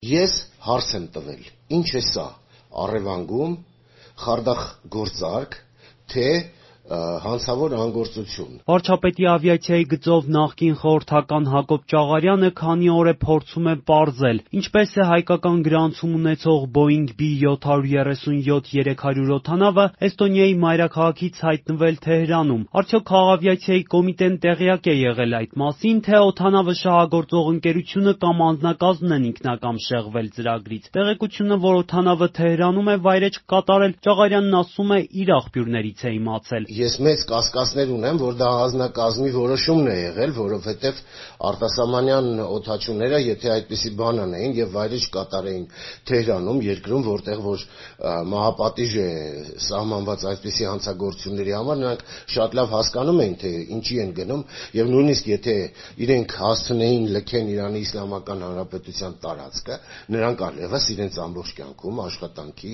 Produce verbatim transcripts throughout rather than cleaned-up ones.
Ես հարց եմ տվել, ինչ է սա, առևանգում, խարդախ գործարք, թե հանցավոր անգործություն։ Վարչապետի ավիացիայի գծով նախկին խորհրդական Հակոբ Ճաղարյանը քանի օր է փորձում է պարզել, ինչպես է հայկական գրանցում ունեցող Boeing B seven thirty-seven three hundred օդանավը Էստոնիայի մայրաքաղաքից հայտնվել Թեհրանում։ Արդյոք քաղավիացիայի կոմիտեն տեղյակ է եղել այդ մասին, թե օդանավը շահագործող ընկերությունը կամ անձնակազմն են ինքնակամ շեղվել ծրագրից։ Տեղեկությունը, որ օդանավը Թեհրանում է վայրէջք կատարել, Ճաղարյանն ասում է իր աղբյուրներից է իմացել։ Ես մեծ կասկածներ ունեմ, որ դա անձնակազմի որոշումն է եղել, որովհետև արտասահմանյան օդաչուները, եթե այդպիսի բան անեին եւ վայրէջք կատարեին Թեհրանում, երկրում, որտեղ որ մահապատիժ է սահմանված այսպիսի հանցագործությունների համար, նրանք շատ լավ հասկանում էին, թե ինչի են գնում, եւ նույնիսկ եթե իրենք հասցնեին լքեն Իրանի Իսլամական Հանրապետության տարածքը, նրանք այլևս իրենց ամբողջ կյանքում աշխատանքի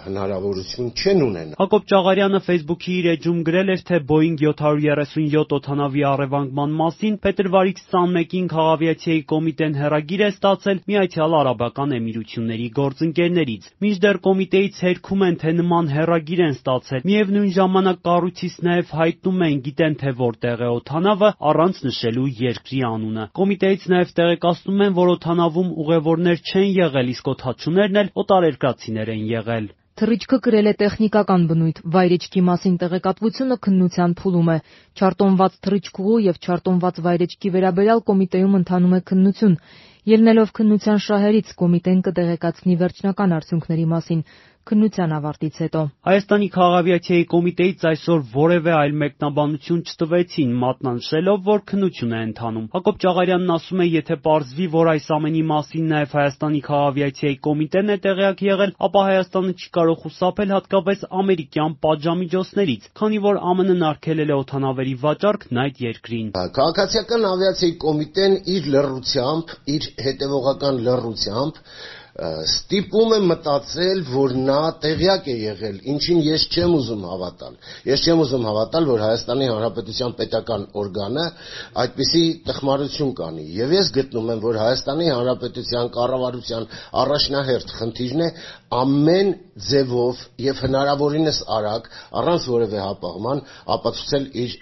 հնարավորություն չեն ունենա։ Հակոբ Ճաղարյանը Facebook-ի իր էջում գրել էր, թե Boeing seven thirty-seven օդանավի առևանգման մասին փետրվարի twenty-first-ին քաղավիացիայի կոմիտեն հեռագիր է ստացել Միացյալ Արաբական Էմիրությունների գործընկերներից։ Մինչդեռ կոմիտեից հերքում են, թե նման հեռագիր են ստացել։ Միևնույն ժամանակ կառույցից նաև հայտնում են, գիտեն, թե որտեղ է օդանավը, առանց նշելու երկրի անունը։ Կոմիտեից նաև տեղեկացնում են, որ օդանավում ուղևորներ չեն եղել, իսկ օդաչուներն էլ օտարերկրացիներ են եղել։ Թռիչքը կրել է տեխնիկական բնույթ, վայրեջքի մասին տեղեկատվությունը քննության փուլում է։ Չարտոնված թռիչքուղու եւ չարտոնված վայրեջքի վերաբերյալ կոմիտեում ընթանում է քննություն։ Ելնելով քննության շահերից, կոմիտեն կտեղեկացնի վերջնական արդյունքների մասին քննության ավարտից հետո։ Հայաստանի քաղավիացիայի կոմիտեից այսօր որևէ այլ մեկնաբանություն չտվեցին, մատնանշելով, որ քննություն է ընթանում։ Հակոբ Ճաղարյանն ասում է, եթե պարզվի, որ այս ամենի մասին նաև Հայաստանի քաղավիացիայի կոմիտեն է տեղյակ եղել, ապա Հայաստանը չի կարող խուսափել հատկապես ամերիկյան պատժամիջոցներից, քանի որ ԱՄՆ-ն արգելել է օդանավերի վաճառքն այդ երկրին։ Քաղաքացիական ավիացիայի կոմիտեն իր լռությամբ, իր հետևողական լռությամբ ստիպում է մտածել, որ նա տեղյակ է եղել, ինչին ես չեմ ուզում հավատալ։ Ես չեմ ուզում հավատալ, որ Հայաստանի Հանրապետության պետական օրգանը այդպիսի տխմարություն կանի։ Եվ ես գտնում եմ, որ Հայաստանի Հանրապետության կառավարության առաջնահերթ խնդիրն է ամեն ձևով եւ հնարավորինս արագ, առանց որևէ հապաղման, ապացուցել իր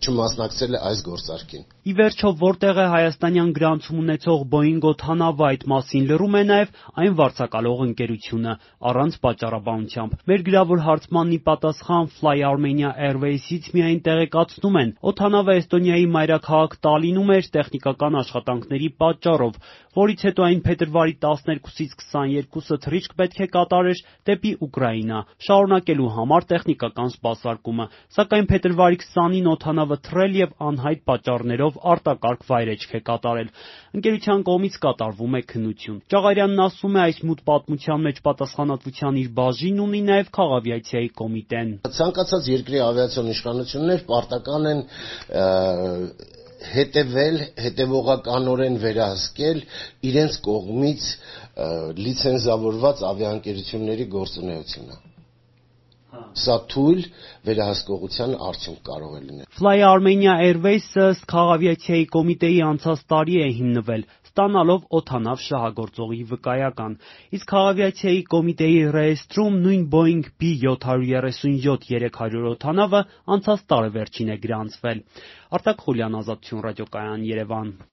չմասնակցել այս գործարքին։ Ի վերջո, որտեղ է հայաստանյան գրանցում ունեցող Boeing օդանավը, այդ մասին լռում է նաև այն վարձակալող ընկերությունը, առանց պատճառաբանությամբ։ Մեր գրավոր հարցմանն ի պատասխան Fly Armenia Airways-ից միայն տեղեկացնում են, օդանավը Էստոնիայի մայրաքաղաք Տալինում էր տեխնիկական աշխատանքների պատճառով, որից հետո այն փետրվարի տասներկուսից քսաներկուսը թռիչք պետք է կատարեր դեպի Ուկրաինա, շարունակելու համար տեխնիկական սպասարկումը, սակայն փետրվարի քսանին օդանավը թռել եւ անհայտ պատճառներով արտակարգ վայրեջք է կատարել։ Ընկերության կողմից կատարվում է քննություն։ Ճաղարյանն ասում է, այս մութ պատմության մեջ պատասխանատվության իր բաժին ունի նաև քաղավիացիայի կոմիտեն։ Ցանկացած երկրի ավիացիոն իշխանություններ պարտական են հետևել, հետևողականորեն վերահսկել իրենց կողմից լիցենզավորված ավիաընկերությունների գործունեությունը։ Սա թույլ վերահսկողության արդյունք կարող է լինել։ Fly Armenia Airways-ը ըստ քաղավիացիայի կոմիտեի անցած տարի է հիմնվել, ստանալով օդանավ շահագործողի վկայական, իսկ քաղավիացիայի կոմիտեի ռեեստրում նույն Boeing B seven thirty-seven three hundred օդանավը անցած տարեվերջին է գրանցվել։ Արտակ Խուլյան, Ազատություն ռադիոկայան, Երևան։